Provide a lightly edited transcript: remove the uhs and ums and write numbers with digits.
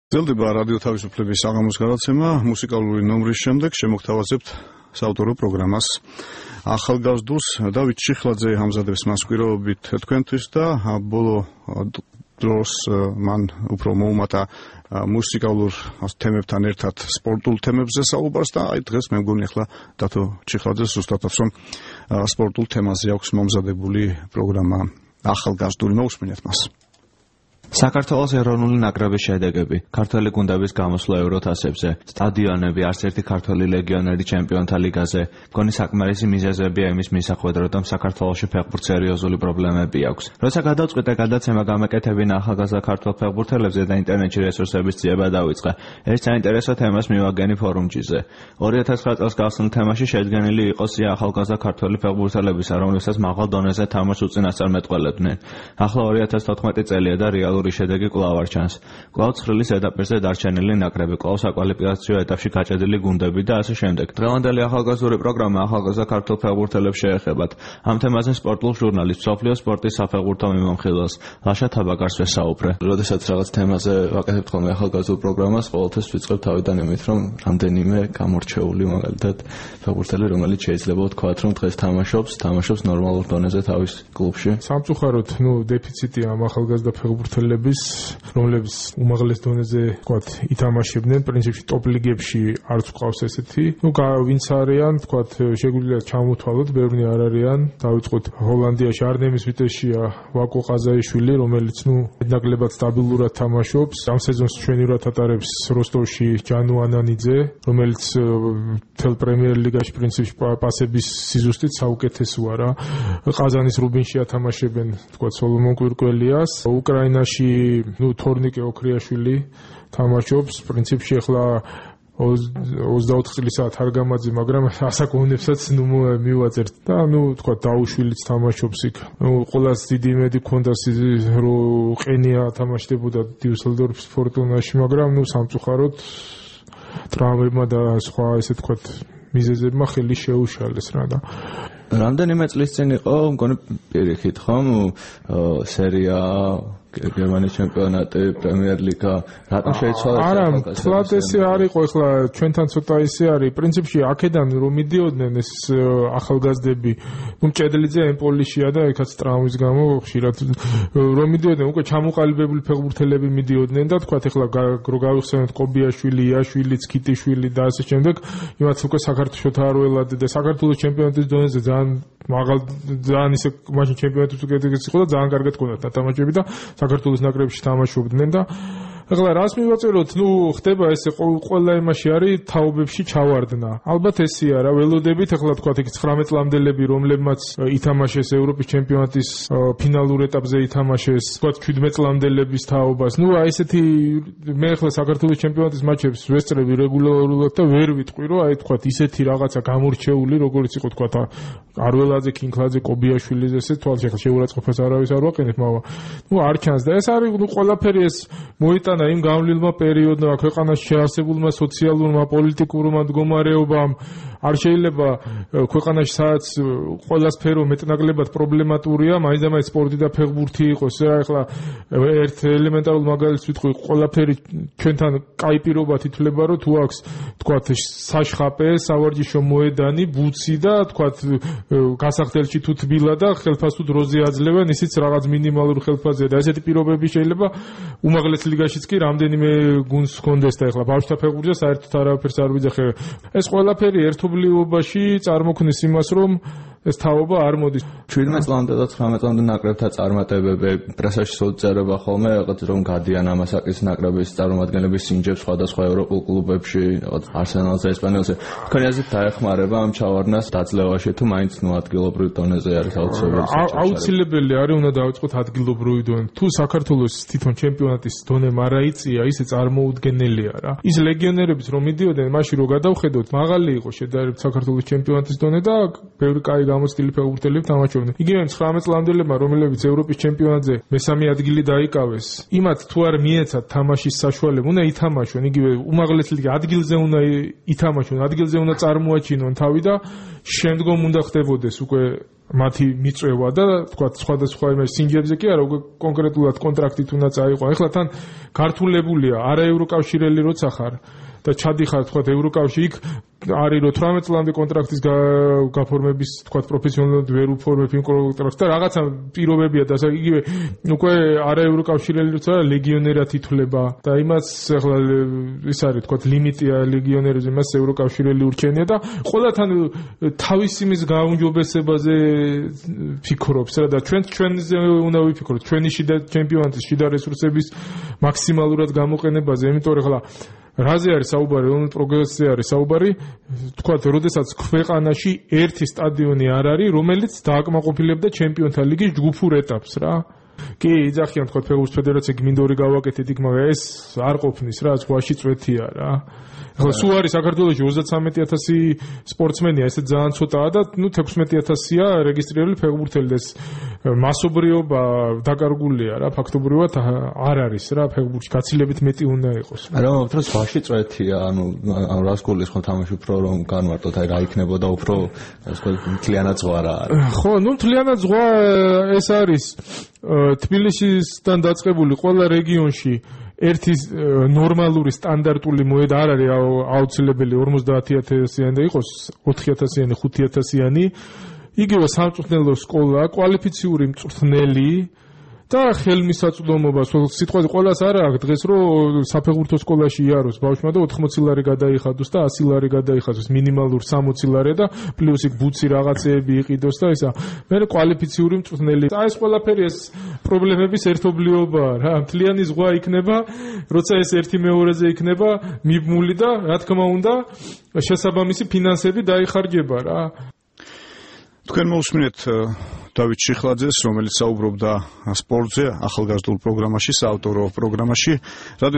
გრძელდება რადიო თავისუფლების საღამოს გადაცემა მუსიკალური ნომრის შემდეგ შემოგთავაზებთ საავტორო პროგრამას ახალგაზრდულს დავით ჩიხლაძე ამზადებს მასკვირაობით თქვენთვის და ბოლო დროს მან უფრო მოუმატა მუსიკალურ თემებთან ერთად სპორტულ თემებზე საუბარს და აი დღეს მე მგონი ახლა დათო ჩიხლაძეს ზუსტადაც რომ სპორტულ თემაზე აქვს მომზადებული პროგრამა ახალგაზრდული მოусმინეთ მას საქართველოს ეროვნული ნაკრების შედეგები, ქართველი გუნდების გამოსვლა ევროთასებზე, სტადიონები, არც ერთი ქართველი ლეგიონერი ჩემპიონთა ლიგაზე, მგონი საკმარისი მიზეზებია იმის მისახვედრად, რომ საქართველოში ფეხბურთს სერიოზული პრობლემები აქვს. როცა გადავწყვიტე გადაცემა გამეკეთებინა ახალგაზრდა ქართველ ფეხბურთელებზე და ინტერნეტში რესურსების ძიება დავიწყე, ერთ საინტერესო თემას მივაგენი ფორუმჯიზე. 2009 წელს გახსნილ თემაში შედგენილი იყო სია ახალგაზრდა ქართველი ფეხბურთელებისა, რომლებსაც მაღალ დონეზე თამაშს უწინასწარ მეტყველებდნენ. ახლა 2014 წელია და რეალ შედეგი კვლავ არ ჩანს. კვლავ ცხრილის ზედაპირზე დარჩენილი ნაკრები, კვლავ საკვალიფიკაციო ეტაპში გაჭედილი გუნდები და ასე შემდეგ. დღევანდელი ახალგაზრდული პროგრამა ახალგაზრდა ქართველ ფეხბურთელებს შეეხებათ. ამ თემაზე სპორტულ ჟურნალისტ, მსოფლიო სპორტის საფეხბურთო მიმოხილველს ლაშა თაბაგარს ვესაუბრე. როდესაც რაღაც თემაზე ვაკეთებთ ხოლმე ახალგაზრდულ პროგრამას, ყოველთვის ვიწყებ თავიდან იმით, რომ რამდენიმე გამორჩეული მაგალითად ფეხბურთელი, რომელიც შეიძლება ვთქვათ, რომ დღეს თამაშობს ნორმალურ დონეზე თავის კლუბში. სამწუხაროდ, დეფიციტი ამ ახალგაზრდა ფეხბურთელების რომლებიც უმაღლეს დონეზე ვთქვათ ითამაშებდნენ პრინციპში ტოპ ლიგებში არც ყავს ესეთი ვინც არიან ვთქვათ შეგვიძლია ჩამოთვალოთ ბევრი არ არიან დავიწყოთ ჰოლანდიაში არნემის ვიტესშია ვაკო ყაზაიშვილი რომელიც ნაკლებად სტაბილურად თამაშობს ამ სეზონს ჩვენივრად ატარებს როსტოვში ჯანუ ანანიძე რომელიც თელ პრემიერ ლიგაში პრინციპში პასების სიზუსტით საუკეთესოა რა ყაზანის რუბინში ათამაშებენ ვთქვათ სოლომონ კვირკველიას უკრაინაში თორნიკე ოქრიაშვილი თამაშობს პრინციპში ახლა 24 წლისაა თარგამაძე მაგრამ ასაკოვნებსაც მივაწერთ და თქვა დაუშვილიც თამაშობს იქ ყველას დიდი იმედი ქონდა რომ ყენია თამაშდებოდა დიუსელდორფის ფორტუნაში მაგრამ სამწუხაროდ ტრავმებმა და სხვა ესე თქვა მიზეზებმა ხელი შეუშალეს რა და რამდენიმე წლის წინ იყო მგონი პირიქით ხომ სერია გერმანიის ჩემპიონატი, პრემიერ ლიგა, რატომ შეიცვალა? არა, თლად ესე არ იყო, ახლა ჩვენთან ცოტა ისე არის. პრინციპში აქედან რომ მიდიოდნენ ეს ახალგაზრდები, მჭედლიძე ემპოლიშია და ეხაც ტრავმის გამო ხშირად რომ მიდიოდნენ, უკვე ჩამოყალიბებული ფეხბურთელები მიდიოდნენ და თქვათ ახლა რო გავიხსენოთ ყობიაშვილი, იაშვილი, ცკიტიშვილი და ასე შემდეგ, იმათ უკვე საქართველოს არველად და საქართველოს ჩემპიონატის დონეზე ძალიან ისე მაშინ ჩემპიონატის უკეთესი იყო და ძალიან კარგად ქონდათ თამაშები და საქართველოს ნაკრებში თამაშობდნენ და ახლა რას მივაწეროთ, ხდება ესე ყველა იმაში არის თაობებში ჩავარდნა. ალბათ ესეა რა, ველოდებით ახლა თქვა იქ 19 წლამდელები, რომლებმაც ითამაშეს ევროპის ჩემპიონატის ფინალურ ეტაპზე ითამაშეს, თქვა 17 წლამდელების თაობას. აი ესეთი მე ახლა საქართველოს ჩემპიონატის მაჩებს ვესწრები რეგულარულად და ვერ ვიტყვი, რომ აი თქვა ისეთი რაღაცა გამორჩეული, როგორც იყო თქვა არველაძე, კინკლაძე, კობიაშვილის ესე თვალში ახლა შეურაცხყოფას არავის არ ვაყენებ, მაგრამ არ ჩანს და ეს არის ყველაფერი ეს მოიტანა იმ გავლილმა პერიოდმა ქვეყანაში შეარსებულმა სოციალურმა პოლიტიკურმა მდგომარეობამ არ შეიძლება ქვეყანაში სადაც ყველა სფერო მეტნაკლებად პრობლემატურია მაინც და მაინც სპორტი და ფეხბურთი იყოს რა ახლა ერთ ელემენტარულ მაგალითს ვიტყვი ყველაფერი ჩვენთან კაი პირობად ითვლება რომ თუ აქვს თქვათ საშხაპე სავარჯიშო მოედანი ბუცი და თქვათ გასახდელში თუ თბილა და ხელფასუ დროზე აძლევენ ისიც რაღაც მინიმალური ხელფასია და ესეთი პირობები შეიძლება უმაღლეს ლიგაშიც კი რამდენიმე გუნდს ჰქონდეს და ახლა ბავშვთა ფეხბურთზე საერთოდ არაფერს არ ვიძახე. ეს ყველაფერი ერთობლიობაში წარმოქმნის იმას, რომ ეს თაობა არ მოდის. 17 წლამდე და 19 წლამდე ნაკრებთა წარმატებები პრესაში სოუწერება ხოლმე რაღაც რომ გადიან ამასაკის ნაკრების წარმომადგენლების სინჯებს სხვადასხვა ევროპულ კლუბებში, რაღაც არსენალზე, ესპანელზე. თქვენი აზრით დაეხმარება ამ ჩავარდნას დაძლევაში თუ მაინც ადგილობრივ დონეზე არის აუცილებელი? აუცილებელი არის უნდა დავიწყოთ ადგილობრივი დონე. თუ საქართველოს თვითონ ჩემპიონატის დონე მარაიწია, ისე წარმოუდგენელია რა. ის ლეგიონერების რომ მიდიოდნენ, მაშინ რო გადავხედოთ, მაღალი იყო შედარებით საქართველოს ჩემპიონატის დონე და ბევრი კაი 60 სტილი ფეხბურთელები თამაშობდნენ. იგივე 19 წლამდელებმა, რომლებიც ევროპის ჩემპიონატზე მესამე ადგილი დაიკავეს, იმათ თუ არ მიეცათ თამაშის საშუალება, უნდა ითამაშონ, იგივე უმაღლესი ლიგა ადგილზე უნდა ითამაშონ, ადგილზე უნდა წარმოაჩინონ თავი და შემდგომ უნდა ხდებოდეს უკვე მათი მიწვევა და თქვა სხვადასხვა სინჯებზე კი არა, უკვე კონკრეტულად კონტრაქტით უნდა წაიყო. ეხლა თან გართულებულია არა ევროკავშირელი როცა ხარ და ჩადიხარ თქვა ევროკავშირში, იქ არის რომ 18 წლამდე კონტრაქტის გაფორმების თქვა პროფესიონალურად ვერ უფორმებ იმ კონტრაქტს და რაღაცა პირობებია და იგივე უკვე არა ევროკავშირელი როცა ლეგიონერად ითვლება და იმას ახლა ის არის თქვა ლიმიტია ლეგიონერებზე, იმას ევროკავშირელი ურჩენია და ყველათან თავის იმის გაუმჯობესებაზე ფიქრობს რა და ჩვენზე უნდა ვიფიქროთ ჩვენი შიდა ჩემპიონატის შიდა რესურსების მაქსიმალურად გამოყენებაზე, იმიტომ რომ ახლა რაზე არის საუბარი, რომელ პროგრესზე არის საუბარი, თქვათ, როდესაც ქვეყანაში ერთი სტადიონი არ არის, რომელიც დააკმაყოფილებდა ჩემპიონთა ლიგის ჯგუფურ ეტაპს რა. კი, იძახიან თქვათ ფეხბურთის ფედერაცია გმინდორი გავაკეთეთ იქ, მაგრამ ეს არ ყოფნის რა, ზღვაში წვეთია რა. ახლა სულ არის საქართველოში 33,000 სპორტსმენია, ესე ძალიან ცოტაა და 16,000-ია რეგისტრირებული ფეხბურთელი და ეს მასობრიობა დაკარგულია რა, ფაქტობრივად არ არის რა, ფეხბურთში გაცილებით მეტი უნდა იყოს. რა უფრო ზღვაში წვეთია, ანუ რას გულისხმობ თამაში უფრო რომ განვარტოთ, აი რა იქნებოდა უფრო ასე მთლიანად ზღვა რა არის. ხო, მთლიანად ზღვა ეს არის თბილისისთან დაწყებული ყველა რეგიონში ერთი ნორმალური სტანდარტული მოედა არ არის აუცილებელი 50,000-იანი და იყოს 4,000-იანი, 5,000-იანი. იგივე სამწვრთნელო სკოლა, კვალიფიციური მწვრთნელი და ხელმისაწვდომობა. სიტყვაზე ყველას არა აქვს დღეს რომ საფეხბურთო სკოლაში იაროს ბავშვმა და 80 ლარი გადაიხადოს და 100 ლარი გადაიხადოს, მინიმალურ 60 ლარი და პლუს იქ ბუცი რაღაცეები იყიდოს და ისა. მე კვალიფიციური მწვრთნელი. ეს ყველაფერი ეს პრობლემების ერთობლიობაა რა. მთლიანი ზღვა იქნება, როცა ეს ერთი მეორეზე იქნება მიბმული და რა თქმა უნდა შესაბამისი ფინანსები დაიხარჯება რა. თქვენ მოусმინეთ დავით შიხლაძეს, რომელიც საუბრობდა სპორტზე ახალგაზრდულ პროგრამაში, საავტორო პროგრამაში.